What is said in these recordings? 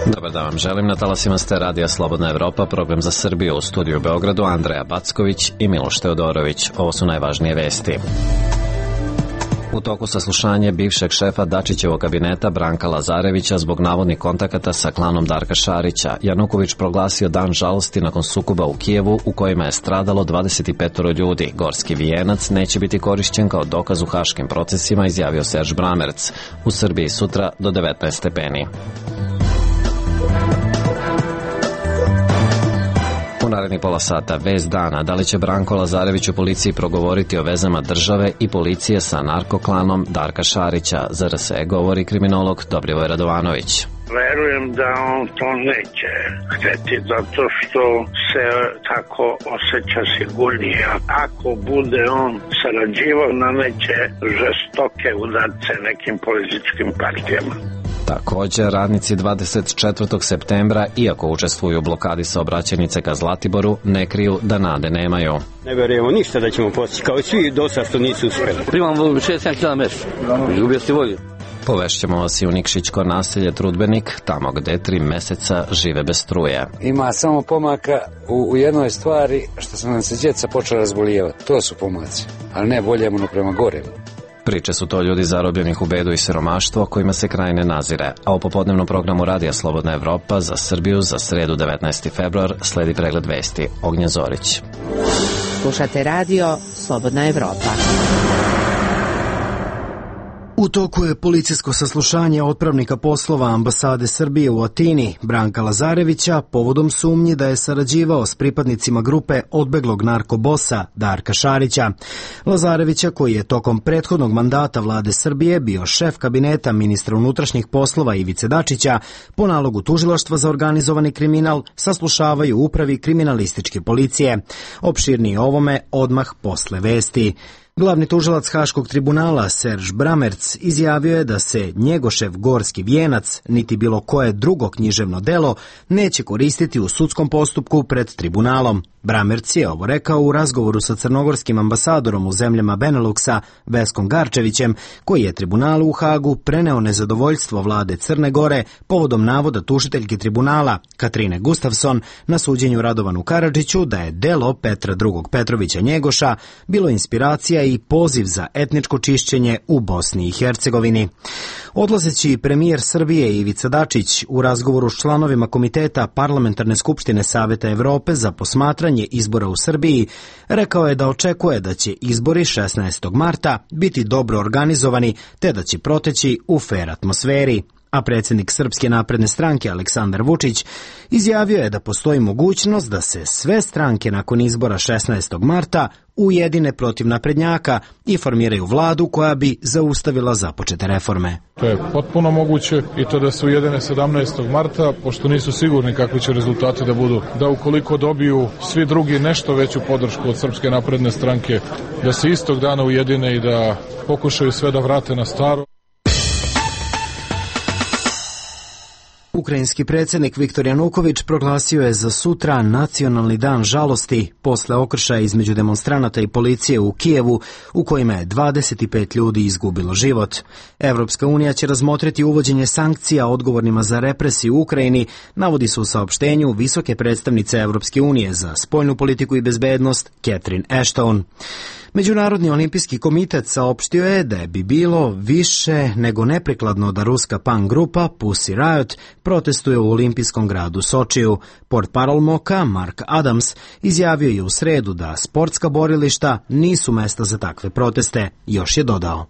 Dobar dan vam želim, na talasima ste Radija Slobodna Evropa, program za Srbiju, u studiju u Beogradu Andreja Backović i Miloš Teodorović. Ovo su najvažnije vesti. U toku saslušanje bivšeg šefa Dačićevog kabineta Branka Lazarevića zbog navodnih kontakata sa klanom Darka Šarića, Januković proglasio dan žalosti nakon sukoba u Kijevu u kojima je stradalo 25 ljudi. Gorski vijenac neće biti korišćen kao dokaz u haškim procesima, izjavio Serž Bramerc. U Srbiji sutra do 19 stepeni. U narednih pola sata vest dana, da li će Branko Lazarević u policiji progovoriti o vezama države i policije sa narkoklanom Darka Šarića. Za RSE govori kriminolog Dobrivoj Radovanović. Verujem da on to neće hteti zato što se tako osjeća sigurnije. Ako bude on sarađivao, nameće žestoke udarce nekim političkim partijama. Također, radnici 24. septembra, iako učestvuju u blokadi saobraćajnice ka Zlatiboru, ne kriju da nade nemaju. Ne verujemo ništa da ćemo postići, kao i svi do sada što nisu uspjeli. Primamo 6-7 kila mesa, izgubio si volju. Povešćemo vas i u Nikšićko naselje Trudbenik, tamo gde 3 meseca žive bez struje. Ima samo pomaka u jednoj stvari, što su nam se djeca počela razbolijevati. To su pomaci, ali ne bolje ono prema gore. Priče su to ljudi zarobljenih u bedu i siromaštvo kojima se kraj ne nazire, a u popodnevnom programu Radija Slobodna Evropa za Srbiju za sredu 19. februar sledi pregled vesti. Ognjen Zorić. Slušate Radio Slobodna Evropa. U toku je policijsko saslušanje otpravnika poslova ambasade Srbije u Atini, Branka Lazarevića, povodom sumnji da je sarađivao s pripadnicima grupe odbeglog narkobosa Darka Šarića. Lazarevića, koji je tokom prethodnog mandata vlade Srbije bio šef kabineta ministra unutrašnjih poslova Ivice Dačića, po nalogu tužilaštva za organizovani kriminal saslušavaju u upravi kriminalističke policije. Opširnije ovome odmah posle vesti. Glavni tužilac Haškog tribunala Serž Bramerc izjavio je da se Njegošev Gorski vijenac, niti bilo koje drugo književno delo, neće koristiti u sudskom postupku pred tribunalom. Bramerc je ovo rekao u razgovoru sa crnogorskim ambasadorom u zemljama Beneluksa Veskom Garčevićem, koji je tribunalu u Hagu preneo nezadovoljstvo vlade Crne Gore povodom navoda tužiteljke tribunala Katrine Gustafson na suđenju Radovanu Karadžiću da je delo Petra II. Petrovića Njegoša bilo inspiracija i poziv za etničko čišćenje u Bosni i Hercegovini. Odlazeći premijer Srbije Ivica Dačić u razgovoru s članovima Komiteta Parlamentarne skupštine Saveta Evrope za posmatranje izbora u Srbiji, rekao je da očekuje da će izbori 16. marta biti dobro organizovani te da će proteći u fer atmosferi. A predsjednik Srpske napredne stranke Aleksandar Vučić izjavio je da postoji mogućnost da se sve stranke nakon izbora 16. marta ujedine protiv naprednjaka i formiraju vladu koja bi zaustavila započete reforme. To je potpuno moguće i to da se ujedine 17. marta, pošto nisu sigurni kakvi će rezultati da budu. Da ukoliko dobiju svi drugi nešto veću podršku od Srpske napredne stranke, da se istog dana ujedine i da pokušaju sve da vrate na staro. Ukrajinski predsjednik Viktor Januković proglasio je za sutra nacionalni dan žalosti posle okršaja između demonstranata i policije u Kijevu u kojima je 25 ljudi izgubilo život. Evropska unija će razmotriti uvođenje sankcija odgovornima za represiju u Ukrajini, navodi se u saopštenju visoke predstavnice Evropske unije za spoljnu politiku i bezbednost Catherine Ashton. Međunarodni olimpijski komitet saopštio je da bi bilo više nego neprikladno da ruska punk grupa Pussy Riot protestuje u olimpijskom gradu Sočiju. Portparol MOKA Mark Adams izjavio je u sredu da sportska borilišta nisu mesta za takve proteste. Još je dodao.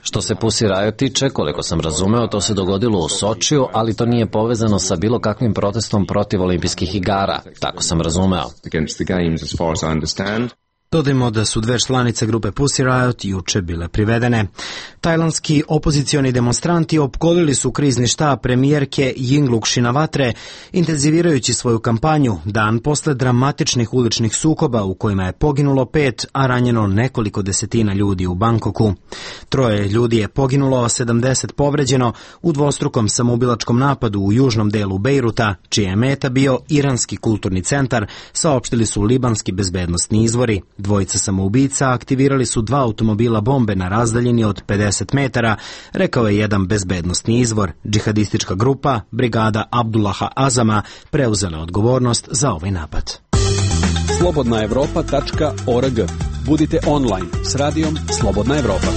Što se Pussy Riot tiče, koliko sam razumeo, to se dogodilo u Sočiju, ali to nije povezano sa bilo kakvim protestom protiv olimpijskih igara. Tako sam razumeo. Dodajmo da su 2 članice grupe Pussy Riot juče bile privedene. Tajlandski opozicioni demonstranti opkolili su krizni štab premijerke Yingluck Shinawatre, intenzivirajući svoju kampanju dan posle dramatičnih uličnih sukoba u kojima je poginulo 5, a ranjeno nekoliko desetina ljudi u Bangkoku. 3 ljudi je poginulo, a 70 povređeno u dvostrukom samoubilačkom napadu u južnom delu Bejruta, čija je meta bio iranski kulturni centar, saopštili su libanski bezbednosni izvori. Dvojica samoubica aktivirali su 2 automobila bombe na razdaljini od 50 metara, rekao je jedan bezbednosni izvor. Džihadistička grupa, brigada Abdullaha Azama, preuzela odgovornost za ovaj napad. slobodnaevropa.org. Budite online s radijom Slobodna Evropa.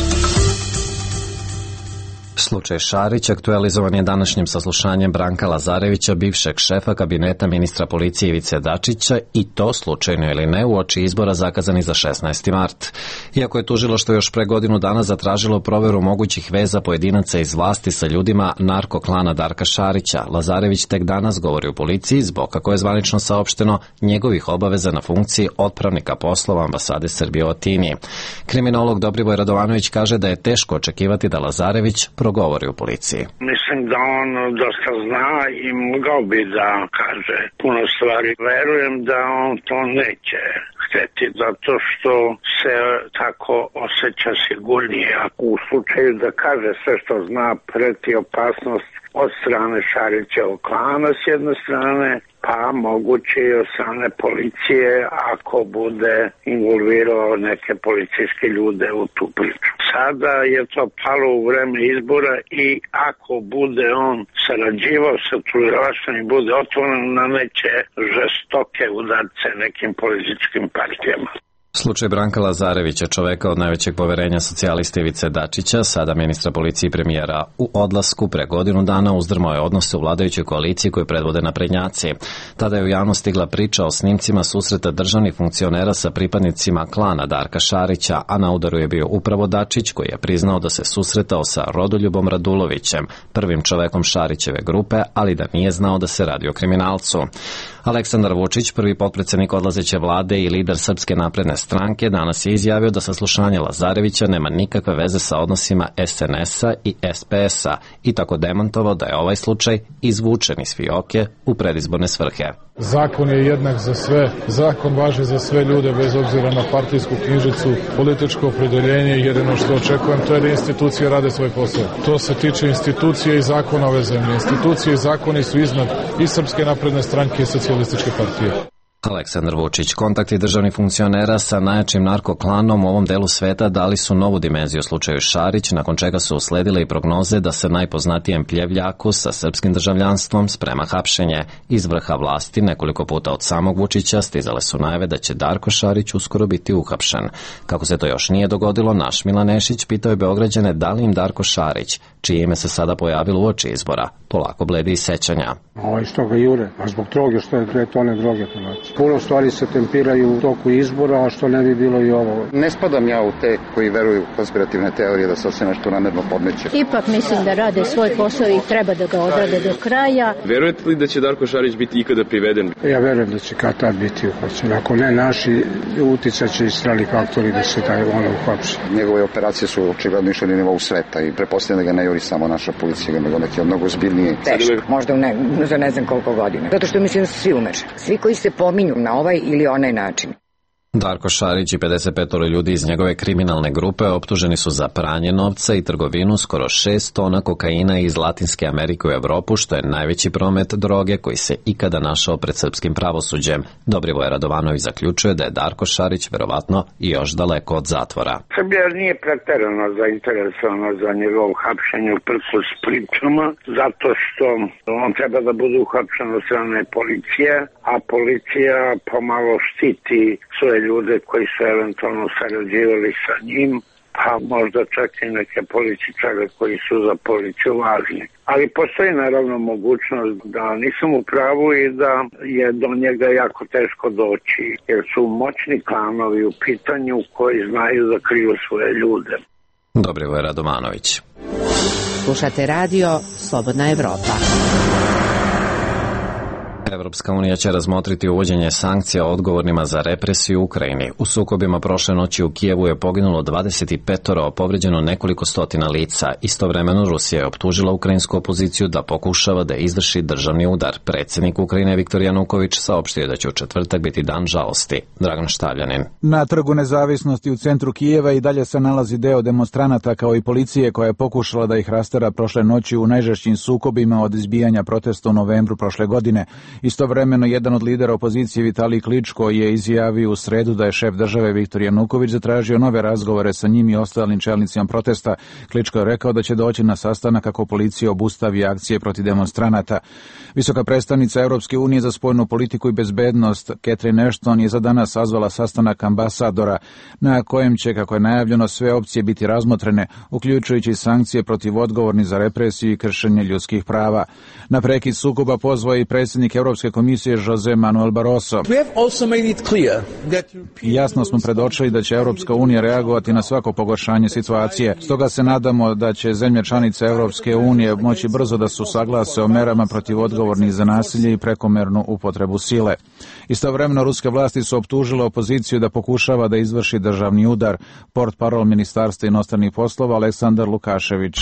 Slučaj Šarić aktualizovan je današnjim saslušanjem Branka Lazarevića, bivšeg šefa kabineta ministra policije Ivice Dačića, i to slučajno ili ne uoči izbora zakazani za 16. mart. Iako je tužilaštvo još pre godinu dana zatražilo proveru mogućih veza pojedinaca iz vlasti sa ljudima narko-klana Darka Šarića, Lazarević tek danas govori u policiji zbog, kako je zvanično saopšteno, njegovih obaveza na funkciji otpravnika poslova ambasade Srbije u Atini. Kriminolog Dobriboj Radovanović kaže da je teško očekivati da Lazarević progovori u policiji. Mislim da on dosta zna i mogao bi da kaže puno stvari. Verujem da on to neće hteti, zato što se tako osjeća sigurnije. U slučaju da kaže sve što zna, preti opasnost od strane Šarićevog klana s jedne strane, pa moguće i od strane policije ako bude involvirao neke policijske ljude u tu priču. Sada je to palo u vreme izbora i ako bude on sarađivao sa tužilaštvom i bude otvoren, nameće žestoke udarce nekim političkim partijama. Slučaj Branka Lazarevića, čoveka od najvećeg poverenja socijalista Ivice Dačića, sada ministra policije i premijera u odlasku, pre godinu dana uzdrmao je odnose u vladajućoj koaliciji koju predvode naprednjaci. Tada je u javnost stigla priča o snimcima susreta državnih funkcionera sa pripadnicima klana Darka Šarića, a na udaru je bio upravo Dačić, koji je priznao da se susretao sa Rodoljubom Radulovićem, prvim čovekom Šarićeve grupe, ali da nije znao da se radi o kriminalcu. Aleksandar Vučić, prvi potpredsednik odlazeće vlade i lider Srpske napredne stranke, danas je izjavio da saslušanje Lazarevića nema nikakve veze sa odnosima SNS-a i SPS-a i tako demantovao da je ovaj slučaj izvučen iz fioke u predizborne svrhe. Zakon je jednak za sve, zakon važi za sve ljude bez obzira na partijsku knjižicu, političko opredeljenje, jedino što očekujem to je da institucije rade svoj posao. To se tiče institucije i zakona ove zemlje. Institucije i zakoni su iznad i Srpske napredne stranke i Socijalističke partije. Aleksandar Vučić. Kontakti državnih funkcionera sa najjačim narkoklanom u ovom delu sveta dali su novu dimenziju slučaju Šarić, nakon čega su usledile i prognoze da se najpoznatijem pljevljaku sa srpskim državljanstvom sprema hapšenje. Iz vrha vlasti nekoliko puta od samog Vučića stizale su najave da će Darko Šarić uskoro biti uhapšen. Kako se to još nije dogodilo, naš Milan Nešić pitao je Beograđane da li im Darko Šarić, čije ime se sada pojavilo uoči izbora, polako bledi iz sećanja. Što ga jure? A zbog droge, što je 2 tone droge ponaći. Puno stvari se tempiraju u toku izbora, a što ne bi bilo i ovo. Ne spadam ja u te koji veruju u konspirativne teorije da se sve nešto namerno podmeće. Ipak mislim da rade svoj posao i treba da ga odrade do kraja. Verujete li da će Darko Šarić biti ikada priveden? Ja verujem da će kad tad biti uhapšen. Ako ne naši, uticat će i strani faktori da se taj ono uhapši. Njegove operacije su očigledno išle na nivou sveta i pretpostavljam da ga ne juri samo naša policija, nego neki mnogo ozbiljniji. Teško, možda za ne znam koliko godina. Zato što mislim da su svi umešani. Svi koji se pominju na ovaj ili onaj način. Darko Šarić i 55 ljudi iz njegove kriminalne grupe optuženi su za pranje novca i trgovinu skoro 6 tona kokaina iz Latinske Amerike u Evropu, što je najveći promet droge koji se ikada našao pred srpskim pravosuđem. Dobriboj Radovanović zaključuje da je Darko Šarić verovatno i još daleko od zatvora. Srbija nije preterano zainteresovana za njegov hapšenje uprkos pričama, zato što on treba da bude uhapšen od strane policije, a policija pomalo štiti svoje ljude koji su eventualno sarađivali sa njim, pa možda čak i neke političare koji su za policiju važni. Ali postoji naravno mogućnost da nisam u pravu i da je do njega jako teško doći, jer su moćni klanovi u pitanju koji znaju da kriju svoje ljude. Dobriboj Radovanović. Slušate radio Slobodna Evropa. Evropska unija će razmotriti uvođenje sankcija odgovornima za represiju u Ukrajini. U sukobima prošle noći u Kijevu je poginulo 25, a povređeno nekoliko stotina lica. Istovremeno Rusija je optužila ukrajinsku opoziciju da pokušava da izvrši državni udar. Predsjednik Ukrajine Viktor Januković saopštio da će u četvrtak biti dan žalosti. Dragan Štavljanin. Na Trgu Nezavisnosti u centru Kijeva i dalje se nalazi deo demonstranata kao i policije koja je pokušala da ih rastera prošle noći u najžešćim sukobima od izbijanja protesta u novembru prošle godine. Istovremeno, jedan od lidera opozicije Vitalij Kličko je izjavio u sredu da je šef države Viktor Januković zatražio nove razgovore sa njim i ostalim čelnicima protesta. Kličko je rekao da će doći na sastanak ako policija obustavi akcije protiv demonstranata. Visoka predstavnica Europske unije za spoljnu politiku i bezbednost Catherine Ashton je za danas sazvala sastanak ambasadora na kojem će, kako je najavljeno, sve opcije biti razmotrene, uključujući sankcije protiv odgovornih za represiju i kršenje ljudskih prava. Na prekid sukoba pozvao i predsjednik Europske komisije Jose Manuel Barroso. Jasno smo predočili da će Europska unija reagovati na svako pogoršanje situacije. Stoga se nadamo da će zemlje članice Europske unije moći brzo da se usaglase o merama protiv odgovornih za nasilje i prekomernu upotrebu sile. Istovremeno, ruske vlasti su optužile opoziciju da pokušava da izvrši državni udar. Portparol Ministarstva inostranih poslova Aleksandar Lukašević.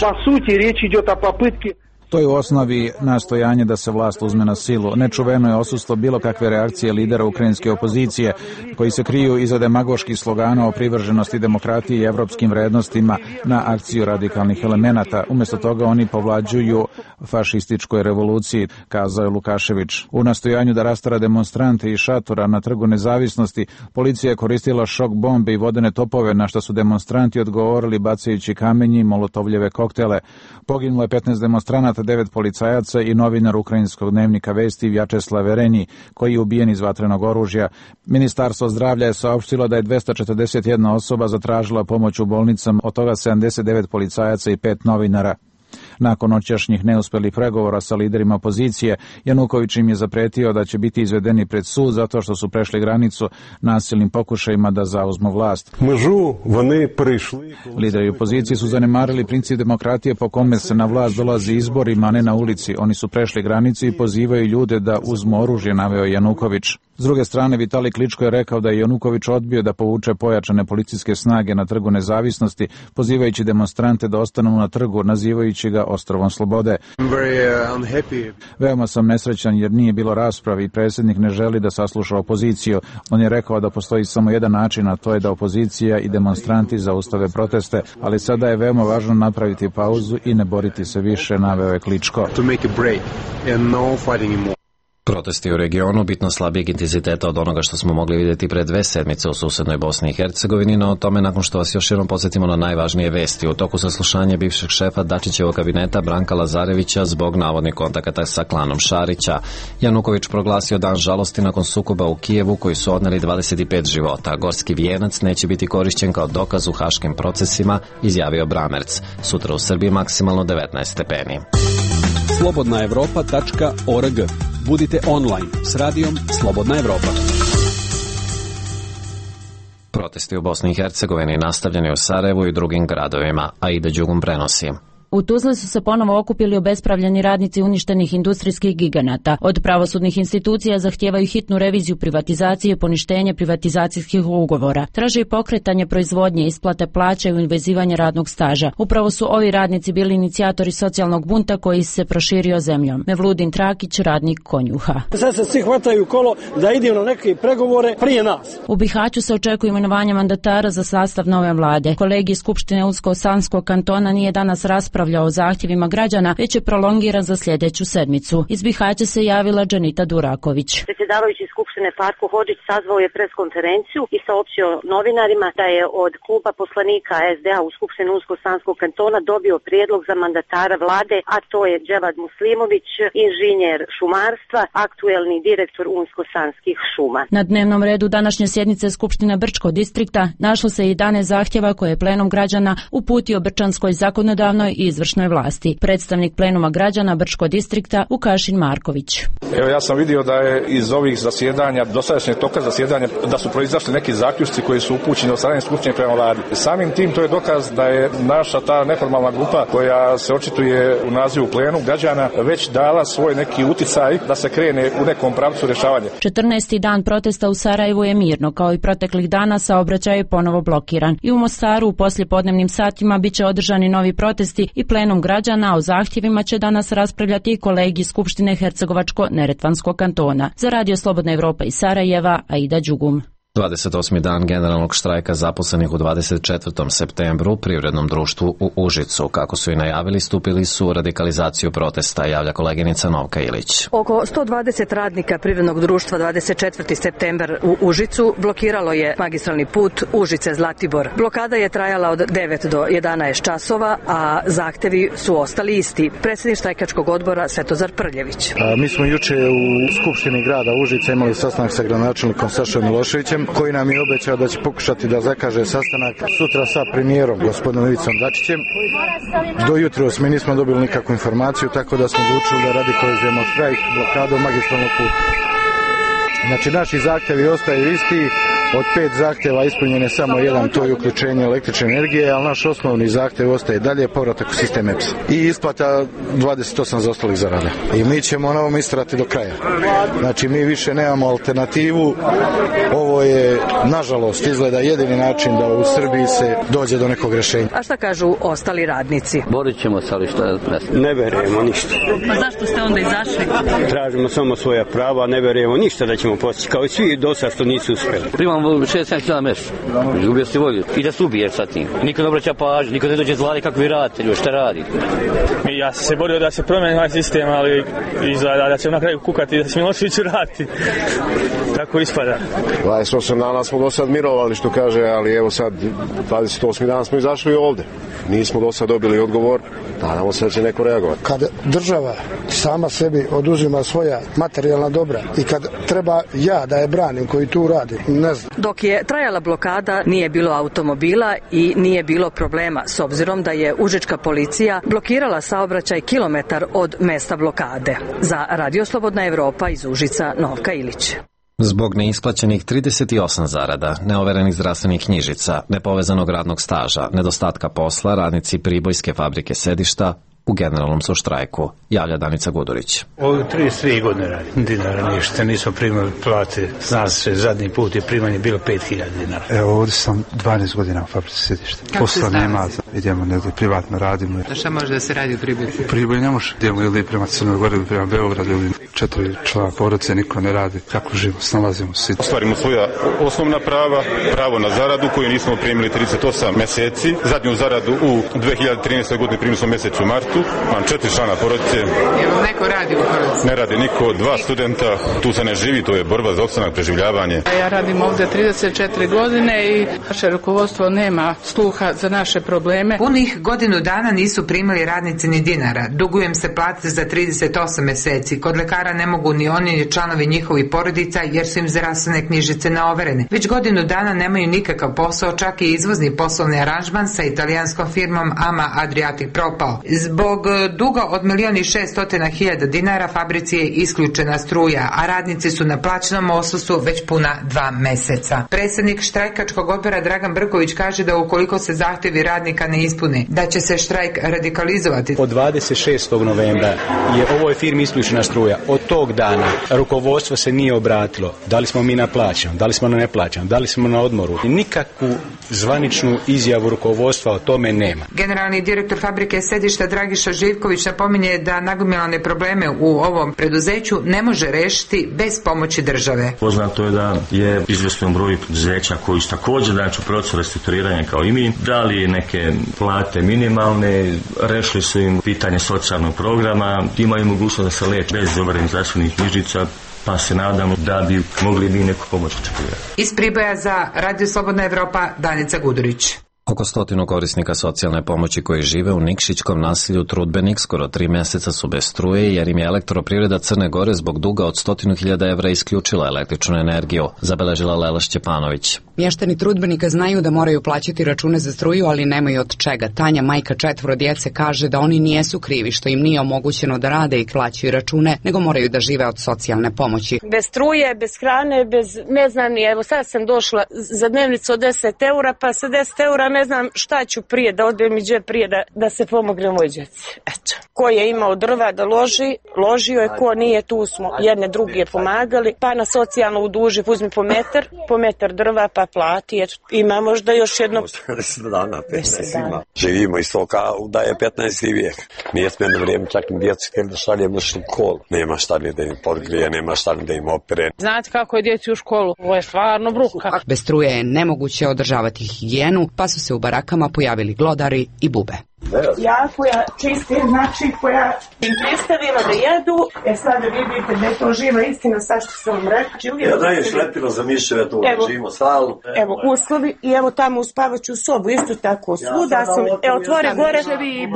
To je u osnovi nastojanje da se vlast uzme na silu. Nečuveno je odsustvo bilo kakve reakcije lidera ukrajinske opozicije, koji se kriju iza demagoških slogana o privrženosti demokratiji i evropskim vrednostima na akciju radikalnih elemenata. Umjesto toga oni povlađuju fašističkoj revoluciji, kazao je Lukašević. U nastojanju da rastara demonstrante i šatora na Trgu Nezavisnosti, policija je koristila šok bombe i vodene topove, na što su demonstranti odgovorili bacajući kamenje i molotovljeve koktele. Poginulo je 15 demonstranata, 9 policajaca i novinar ukrajinskog dnevnika Vesti Vjačeslav Vereni, koji je ubijen iz vatrenog oružja. Ministarstvo zdravlja je saopštilo da je 241 osoba zatražila pomoć u bolnicama, od toga 79 policajaca i 5 novinara. Nakon noćašnjih neuspelih pregovora sa liderima opozicije, Januković im je zapretio da će biti izvedeni pred sud zato što su prešli granicu nasilnim pokušajima da zauzmu vlast. Lideri opozicije su zanemarili princip demokratije po kome se na vlast dolazi izborima, a ne na ulici. Oni su prešli granicu i pozivaju ljude da uzmu oružje, naveo Januković. S druge strane, Vitalij Kličko je rekao da je Januković odbio da povuče pojačane policijske snage na Trgu Nezavisnosti, pozivajući demonstrante da ostanu na trgu, nazivajući ga ostrovom slobode. Veoma sam nesrećan jer nije bilo rasprave i predsjednik ne želi da sasluša opoziciju. On je rekao da postoji samo jedan način, a to je da opozicija i demonstranti zaustave proteste, ali sada je veoma važno napraviti pauzu i ne boriti se više, naveo je Kličko. Protesti u regionu bitno slabijeg intenziteta od onoga što smo mogli vidjeti pre 2 sedmice u susednoj Bosni i Hercegovini, no o tome nakon što vas još jednom podsjetimo na najvažnije vesti. U toku saslušanja bivšeg šefa Dačićevog kabineta Branka Lazarevića zbog navodnih kontakata sa klanom Šarića. Januković proglasio dan žalosti nakon sukoba u Kijevu koji su odneli 25 života. Gorski vijenac neće biti korišćen kao dokaz u haškim procesima, izjavio Bramerc. Sutra u Srbiji maksimalno 19 stepeni. slobodnaevropa.org. Budite online s radijom Slobodna Evropa. Protesti u Bosni i Hercegovini nastavljeni u Sarajevu i drugim gradovima, a Aida Đugum prenosi. U Tuzli su se ponovo okupili obespravljeni radnici uništenih industrijskih giganata. Od pravosudnih institucija zahtijevaju hitnu reviziju privatizacije i poništenje privatizacijskih ugovora. Traže i pokretanje proizvodnje, isplate plaća i uvezivanje radnog staža. Upravo su ovi radnici bili inicijatori socijalnog bunta koji se proširio zemljom. Mevludin Trakić, radnik Konjuha. Sad se svi hvataju kolo da idemo na neke pregovore prije nas. U Bihaću se očekuje imenovanje mandatara za sastav nove vlade. Kolegi iz Skupštine Unsko-Sanskog kantona nije danas raspravljao o zahtjevima građana, već je prolongiran za sljedeću sedmicu. Iz Bihaća se javila Džanita Duraković. Predsjedavajući Skupštine Farko Hodžić sazvao je preskonferenciju i saopćio novinarima da je od kluba poslanika SDA u Skupštini Unsko-Sanskog kantona dobio prijedlog za mandatara vlade, a to je Dževad Muslimović, inženjer šumarstva, aktuelni direktor Unsko-Sanskih šuma. Na dnevnom redu današnje sjednice Skupštine Brčkog distrikta našlo se 11 zahtjeva koje je plenum građana uputio Brčanskoj zakonodavnoj i izvršnoj vlasti. Predstavnik plenuma građana Brčkog distrikta Vukašin Marković. Evo, ja sam vidio da je iz ovih zasjedanja, dosadašnjeg toka zasjedanja, da su proizašli neki zaključci koji su upućeni od strane Skupštine prema vladi. Samim tim to je dokaz da je naša ta neformalna grupa koja se očituje u nazivu plenum građana već dala svoj neki uticaj da se krene u nekom pravcu rješavanja. 14. dan protesta u Sarajevu je mirno, kao i proteklih dana saobraćaj je ponovo blokiran. I u Mostaru u poslijepodnevnim satima biće održani novi protesti i plenum građana. O zahtjevima će danas raspravljati i kolegi Skupštine Hercegovačko-Neretvanskog kantona. Za Radio Slobodna Evropa iz Sarajeva, Aida Đugum. 28. dan generalnog štrajka zaposlenih u 24. septembru u Privrednom društvu u Užicu. Kako su i najavili, stupili su u radikalizaciju protesta, javlja koleginica Novka Ilić. Oko 120 radnika Privrednog društva 24. septembar u Užicu blokiralo je magistralni put Užice-Zlatibor. Blokada je trajala od 9 do 11 časova, a zahtevi su ostali isti. Predsjednik štrajkačkog odbora Svetozar Prljević. Mi smo juče u Skupštini grada Užica imali sastanak sa gradonačelnikom Sašom Miloševićem, koji nam je obećao da će pokušati da zakaže sastanak sutra sa premijerom gospodinom Ivicom Dačićem. Do jutros mi nismo dobili nikakvu informaciju, tako da smo odlučili da radikalizujemo štrajk blokadom magistralnog puta. Znači, naši zahtjevi ostaju isti. Od 5 zahtjeva ispunjen je samo jedan, to je uključenje električne energije, ali naš osnovni zahtjev ostaje dalje, povratak u sistem EPS i isplata 28 zaostalih zarada. I mi ćemo na ovom istrati do kraja. Znači, mi više nemamo alternativu. Ovo je, nažalost, izgleda jedini način da u Srbiji se dođe do nekog rješenja. A šta kažu ostali radnici? Borit ćemo se, ali šta ne verujemo ništa. Pa zašto ste onda izašli? Tražimo samo svoja prava, ne verujemo ništa da ćemo postići, kao i svi do sad što nisu uspjeli. Primam 6-7 kila meša, izgubio si volju i da se ubiješ sa tim. Niko ne obraća pažnju, niko ne dođe zvali kako vi radite, šta radi. Ja sam se borio da se promeni ovaj sistem, ali izgleda da će na kraju kukati da se Milošević vrati. Tako ispada. 28 dana smo do sad mirovali, što kaže, ali evo sad 28 dana smo izašli ovde. Nismo do sad dobili odgovor, nadamo se da će neko reagovati. Kad država sama sebi oduzima svoja materijalna dobra i kad treba ja da je branim koji tu radi, ne znam. Dok je trajala blokada, nije bilo automobila i nije bilo problema, s obzirom da je užička policija blokirala saobraćaj kilometar od mesta blokade. Za Radio Slobodna Evropa iz Užica, Novka Ilić. Zbog neisplaćenih 38 zarada, neoverenih zdravstvenih knjižica, nepovezanog radnog staža, nedostatka posla, radnici Pribojske fabrike Sedišta u generalnom su štrajku, javlja Danica Gudurić. Ovo 33 godine radim, dinara ništa, nismo primali plate, zna se, zadnji put je primanje bilo 5000 dinara. Evo, ovdje sam 12 godina u fabrici Sedišta. Posla nema, idemo negdje privatno radimo. Da šta može da se radi u Priboju? U Priboju ne može, idemo ili prema Crnoj Gori ili prema Beogradu ili 4 člana porodice, niko ne radi, kako živimo, snalazimo se. Ostvarimo svoja osnovna prava, pravo na zaradu koju nismo primili 38 meseci, zadnju zaradu u 2013. godini primili smo mjesec u martu. Imam 4 člana porodice. Evo, neko radi u porodici? Ne radi niko, 2 studenta, tu se ne živi, to je borba za opstanak, preživljavanje. Ja radim ovdje 34 godine i naše rukovodstvo nema sluha za naše probleme. Punih godinu dana nisu primali radnici ni dinara. Dugujem se plate za 38 meseci. Kod lekara ne mogu ni oni ni članovi njihovih porodica jer su im zdravstvene knjižice neoverene. Već godinu dana nemaju nikakav posao, čak i izvozni poslovni aranžman sa italijanskom firmom Ama Adriatic propao. Zbog duga od 1.600.000 dinara fabrici je isključena struja, a radnici su na plaćenom odsustvu već puna 2 meseca. Predsjednik štrajkačkog odbora Dragan Brković kaže da ukoliko se zahtjevi radnika ne ispune, da će se štrajk radikalizovati. Od 26. novembra je ovoj firmi isključena struja. Od tog dana rukovodstvo se nije obratilo. Da li smo mi na plaćenom, da li smo na neplaćenom, da li smo na odmoru. Nikakvu zvaničnu izjavu rukovodstva o tome nema. Generalni direktor fabrike Sedišta Dragiša Živković napominje da nagomilane probleme u ovom preduzeću ne može rešiti bez pomoći države. Poznato je da je izvjestan broj preduzeća koji su također znači u procesu restrukturiranja kao i mi, dali neke plate minimalne, rešili su im pitanje socijalnog programa, imaju mogućnost da se leče bez overenih zdravstvenih knjižica, pa se nadamo da bi mogli mi neku pomoć očekivati. Iz Priboja za Radio Slobodna Evropa, Danica Gudurić. Oko 100 korisnika socijalne pomoći koji žive u Nikšićkom naselju Trudbenik skoro 3 mjeseca su bez struje jer im je Elektroprivreda Crne Gore zbog duga od 100.000 evra isključila električnu energiju, zabeležila Lela Šćepanović. Mještani Trudbenika znaju da moraju plaćati račune za struju, ali nemaju od čega. Tanja, majka 4 djece, kaže da oni nijesu krivi što im nije omogućeno da rade i plaćaju račune, nego moraju da žive od socijalne pomoći. Bez struje, bez hrane, bez, ne znam ni, evo sad sam došla za dnevnicu od 10 eura, pa sa 10 eura ne znam šta ću prije, da odbijem i džep prije da se pomogne moj djeci. Eto. Ko je imao drva da ložio je, ko nije, tu smo jedne druge pomagali, pa na socijalno uduži, uzmi po metar drva pa plati, eto, ima možda još jedno 10 dana, 15 ima. Živimo iz toga da je 15. vijek. Nije smjeno vrijeme, čak i djecu htjeli da šaljemo u školu. Nema šta ni da im podgrije, nema šta ni da im opere. Znate kako je djeci u školu? Ovo je stvarno bruka. Bez struje je nemoguće održavati higijenu, pa su se u barakama pojavili glodari i bube. Ja koja čistim, znači koja im predstavila da jedu, sada vidite da je to živa istina, sa što sam vam rekao. Ja dajem šlepilo za miševe, to živimo stalno. Evo uslovi i evo tamo u spavaću sobu, isto tako svuda sam, otvore gore i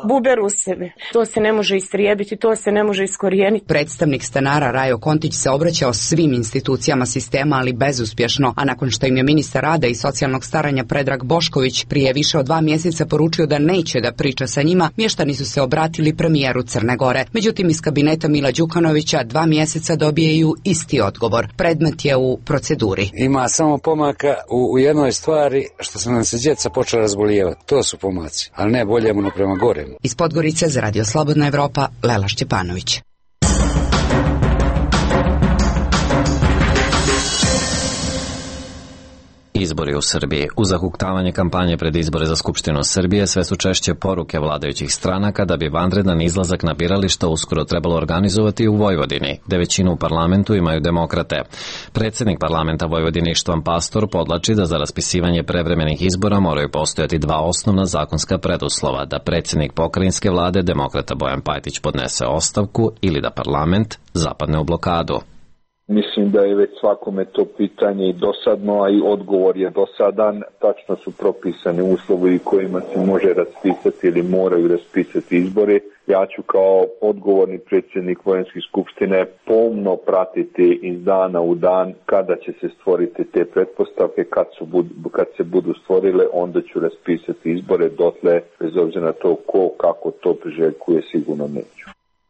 bube ruseve. To se ne može istrijebiti, to se ne može iskorijeniti. Predstavnik stanara Rajo Kontić se obraćao svim institucijama sistema, ali bezuspješno, a nakon što im je ministar rada i socijalnog staranja Predrag Bošković prije više od 2 mjeseca poručio da neće da priča sa njima, mještani su se obratili premijeru Crne Gore. Međutim, iz kabineta Mila Đukanovića 2 mjeseca dobijaju isti odgovor. Predmet je u proceduri. Ima samo pomaka u jednoj stvari, što su nam se djeca počela razbolijevati. To su pomaci, ali ne boljemo no prema goremu. Iz Podgorice za Radio Slobodna Evropa, Lela Šćepanović. Izbori u Srbiji. Uz zahuktavanje kampanje pred izbore za Skupštinu Srbije sve su češće poruke vladajućih stranaka da bi vanredan izlazak na birališta uskoro trebalo organizovati u Vojvodini, gde većinu u parlamentu imaju demokrate. Predsjednik parlamenta Vojvodine Ištvan Pastor podlači da za raspisivanje prevremenih izbora moraju postojati 2 osnovna zakonska preduslova: da predsjednik pokrajinske vlade demokrata Bojan Pajtić podnese ostavku ili da parlament zapadne u blokadu. Mislim da je već svakome to pitanje i dosadno, a i odgovor je dosadan. Tačno su propisani uslovi kojima se može raspisati ili moraju raspisati izbori. Ja ću kao odgovorni predsjednik Vojenske skupštine pomno pratiti iz dana u dan kada će se stvoriti te pretpostavke, kad se budu stvorile, onda ću raspisati izbore, dotle, bez obzira na to ko kako to priželjkuje, sigurno neću.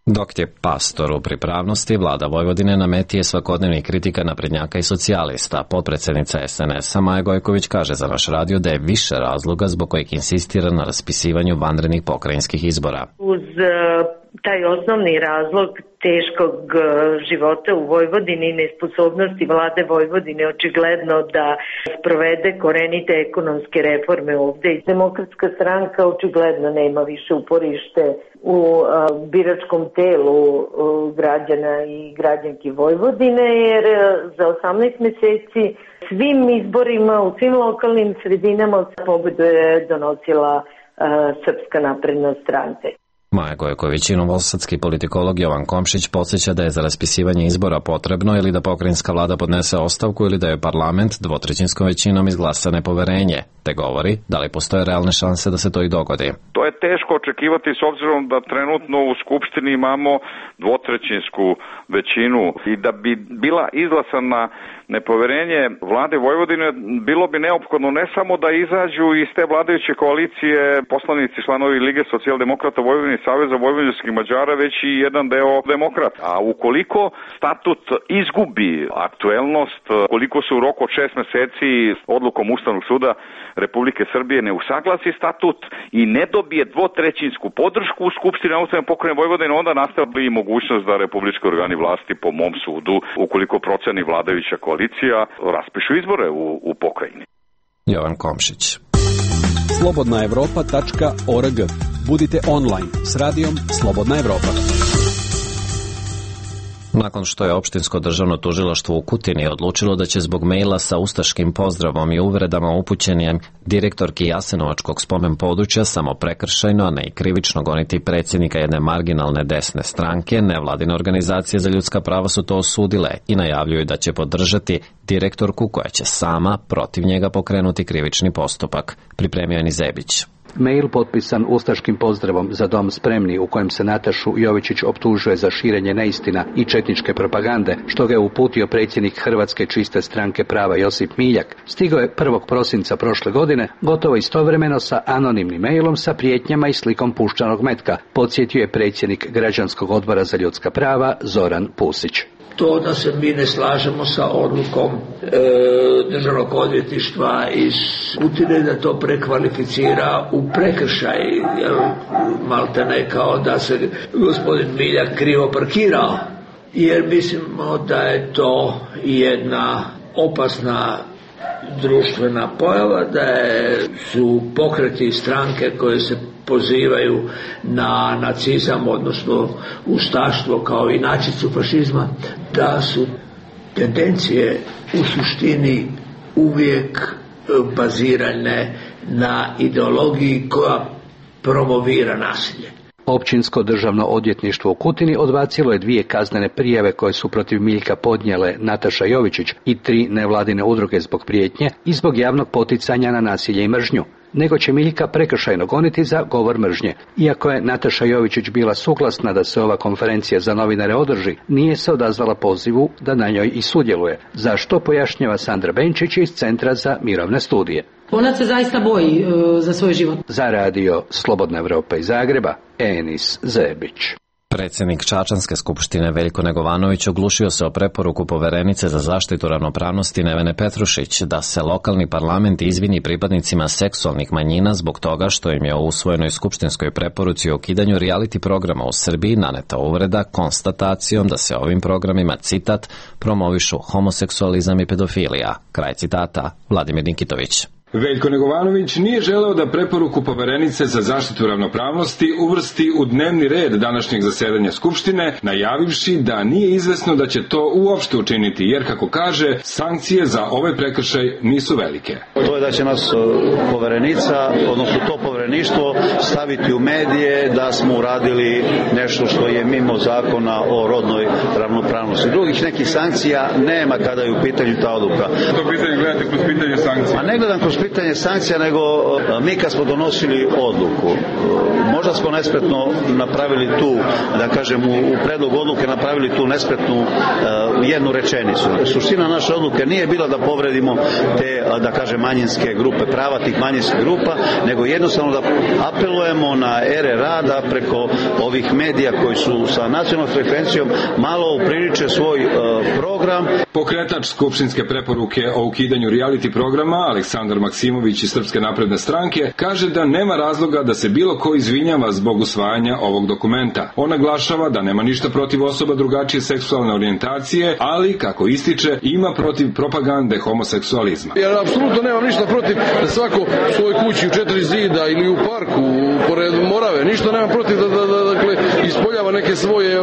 Dok je Pastor u pripravnosti, vlada Vojvodine na meti je svakodnevnih kritika naprednjaka i socijalista. Potpredsjednica SNS-a Maja Gojković kaže za naš radio da je više razloga zbog kojih insistira na raspisivanju vanrednih pokrajinskih izbora. Uz taj osnovni razlog teškog života u Vojvodini i nesposobnosti vlade Vojvodine očigledno da sprovede korenite ekonomske reforme ovdje. Demokratska stranka očigledno nema više uporište u biračkom telu građana i građanki Vojvodine, jer za 18 mjeseci svim izborima u svim lokalnim sredinama pobedu je donosila Srpska napredna stranka. Maja Gojković i novosadski politikolog Jovan Komšić podsjeća da je za raspisivanje izbora potrebno ili da pokrajinska vlada podnese ostavku ili da je parlament 2/3 većinom izglasa nepoverenje, te govori da li postoje realne šanse da se to i dogodi. To je teško očekivati s obzirom da trenutno u Skupštini imamo 2/3 većinu i da bi bila izglasana nepoverenje vlade Vojvodine, bilo bi neophodno ne samo da izađu iz te vladajuće koalicije poslanici članovi Lige socijaldemokrata Vojvodine i Saveza vojvođanskih Mađara, već i jedan deo demokrata. A ukoliko statut izgubi aktuelnost, koliko se u roku od 6 mjeseci odlukom Ustavnog suda Republike Srbije ne usaglasi statut i ne dobije 2/3 podršku u Skupštini autonomne pokrajine Vojvodine, onda nastaje i mogućnost da republički organi vlasti, po mom sudu, ukoliko proceni vladajuća koalicija, raspišu izbore u pokrajini. Jovan Komšić. slobodnaevropa.org. Budite online s radijom Slobodna Evropa. Nakon što je opštinsko državno tužilaštvo u Kutini odlučilo da će zbog maila sa ustaškim pozdravom i uvredama upućenim direktorki Jasenovačkog spomen područja samo prekršajno, a ne i krivično goniti predsjednika jedne marginalne desne stranke, nevladine organizacije za ljudska prava su to osudile i najavljuju da će podržati direktorku koja će sama protiv njega pokrenuti krivični postupak. Pripremio je Nizebić. Mail potpisan ustaškim pozdravom Za dom spremni, u kojem se Natašu Jovičić optužuje za širenje neistina i četničke propagande, što ga je uputio predsjednik Hrvatske čiste stranke prava Josip Miljak, stigao je 1. prosinca prošle godine, gotovo istovremeno sa anonimnim mailom sa prijetnjama i slikom puščanog metka, podsjetio je predsjednik Građanskog odbora za ljudska prava Zoran Pusić. to da se mi ne slažemo sa odlukom državnog odvjetništva iz Kutine da to prekvalificira u prekršaj, jer maltene kao da se gospodin Miljak krivo parkirao, jer mislimo da je to jedna opasna društvena pojava, da su pokreti stranke koje se pozivaju na nacizam, odnosno ustaštvo kao inačicu fašizma, da su tendencije u suštini uvijek bazirane na ideologiji koja promovira nasilje. Općinsko državno odvjetništvo u Kutini odbacilo je 2 kaznene prijave koje su protiv Miljka podnijele Nataša Jovičić i 3 nevladine udruge zbog prijetnje i zbog javnog poticanja na nasilje i mržnju, nego će Miljka prekršajno goniti za govor mržnje. Iako je Nataša Jovičić bila suglasna da se ova konferencija za novinare održi, nije se odazvala pozivu da na njoj i sudjeluje, za što pojašnjava Sandra Benčić iz Centra za mirovne studije. Ona se zaista boji za svoj život. Za radio Slobodna Evropa iz Zagreba, Enis Zebić. Predsjednik Čačanske skupštine Veljko Negovanović oglušio se o preporuku poverenice za zaštitu ravnopravnosti Nevene Petrušić da se lokalni parlament izvini pripadnicima seksualnih manjina zbog toga što im je u usvojenoj skupštinskoj preporuci o ukidanju reality programa u Srbiji naneta uvreda konstatacijom da se ovim programima, citat, promovišu homoseksualizam i pedofilija. Kraj citata. Vladimir Nikitović. Veljko Negovanović nije želeo da preporuku poverenice za zaštitu ravnopravnosti uvrsti u dnevni red današnjeg zasedanja Skupštine, najavivši da nije izvesno da će to uopšte učiniti, jer, kako kaže, sankcije za ovaj prekršaj nisu velike. To je da će nas poverenica, odnosno to povereništvo, staviti u medije da smo uradili nešto što je mimo zakona o rodnoj ravnopravnosti. Drugih nekih sankcija nema kada je u pitanju ta odluka. To pitanje gledate kroz pitanje sankcija? A ne gledam kroz pitanje sankcija, nego mi kad smo donosili odluku, možda smo nespretno napravili tu, da kažem, u predlogu odluke napravili tu nespretnu jednu rečenicu. Suština naše odluke nije bila da povredimo te, da kažem, manjinske grupe, prava tih manjinskih grupa, nego jednostavno da apelujemo na ere rada preko ovih medija koji su sa nacionalnom frekvencijom malo upriliče svoj program. Pokretač skupštinske preporuke o ukidanju reality programa, Aleksandar Maksimović iz Srpske napredne stranke, kaže da nema razloga da se bilo ko izvinjava zbog usvajanja ovog dokumenta. On naglašava da nema ništa protiv osoba drugačije seksualne orijentacije, ali, kako ističe, ima protiv propagande homoseksualizma. Ja apsolutno nemam ništa protiv da svako u svojoj kući u 4 zida ili u parku, pored Morave, ništa nemam protiv da ispoljava neke svoje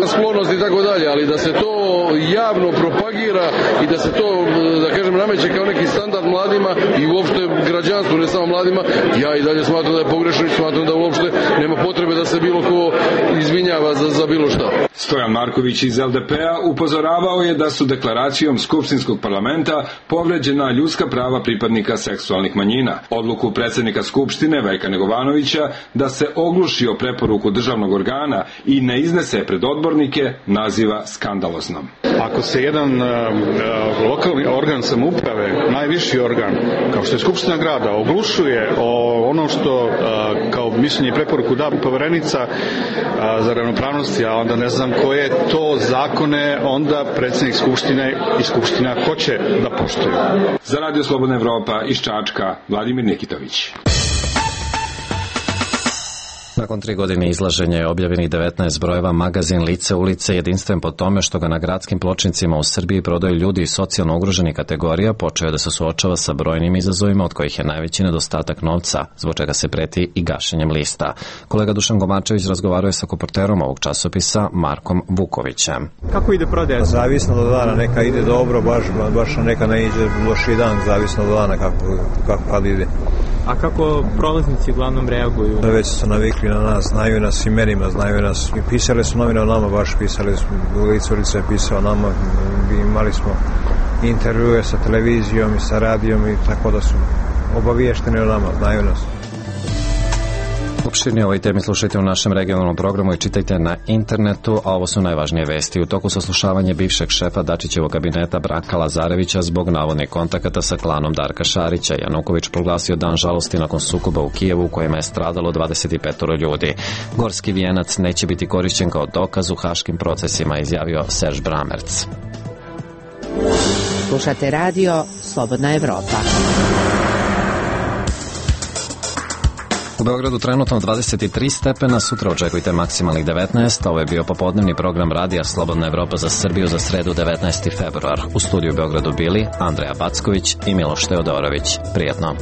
sklonosti i tako dalje, ali da se to javno propagira i da se to, da kažem, nameće kao neki standard mladima i uopšte građanstvu, ne samo mladima, ja i dalje smatram da je pogrešno i smatram da uopšte nema potrebe da se bilo ko izvinjava za bilo šta. Stojan Marković iz LDP-a upozoravao je da su deklaracijom Skupštinskog parlamenta povređena ljudska prava pripadnika seksualnih manjina. Odluku predsjednika Skupštine Veljka Negovanovića da se ogluši o preporuku državnog organa i ne iznese pred odbornike naziva skandaloznom. Ako se jedan lokalni organ samouprave, najviši organ, kao što je Skupština grada, oglušuje o ono što kao mišljenje i preporuku da poverenica za ravnopravnosti, a onda ne znam koje to zakone onda predsjednik Skupštine i Skupština hoće da poštuju. Za Radio Slobodna Evropa iz Čačka, Vladimir Nikitović. Nakon 3 godine izlaženja je objavljenih 19 brojeva magazin Lice ulice, jedinstven po tome što ga na gradskim pločnicima u Srbiji prodaju ljudi iz socijalno ugroženih kategorija, počeo je da se suočava sa brojnim izazovima, od kojih je najveći nedostatak novca, zbog čega se preti i gašenjem lista. Kolega Dušan Gomačević razgovarao je sa koporterom ovog časopisa Markom Vukovićem. Kako ide prodaja? Zavisno do dana, neka ide dobro, baš neka ne ide loši dan, zavisno do dana kako kad ide. A kako prolaznici uglavnom reaguju? Već su navikli na nas, znaju nas imenima, znaju nas. I pisali su novine o nama, baš pisali su, Lice ulice je pisao o nama, imali smo intervjue sa televizijom i sa radijom i tako da su obaviješteni o nama, znaju nas. Opširnije ovoj temi slušajte u našem regionalnom programu i čitajte na internetu, a ovo su najvažnije vesti. U toku saslušavanja bivšeg šefa Dačićevog kabineta Branka Lazarevića zbog navodnih kontakata sa klanom Darka Šarića, Januković proglasio dan žalosti nakon sukoba u Kijevu u kojima je stradalo 25 ljudi. Gorski vijenac neće biti korišćen kao dokaz u haškim procesima, izjavio Serž Bramerc. Slušate radio Slobodna Evropa. U Beogradu trenutno 23 stepena, sutra očekujte maksimalnih 19. Ovo je bio popodnevni program radija Slobodna Evropa za Srbiju za sredu 19. februar. U studiju u Beogradu bili Andreja Backović i Miloš Teodorović. Prijetno.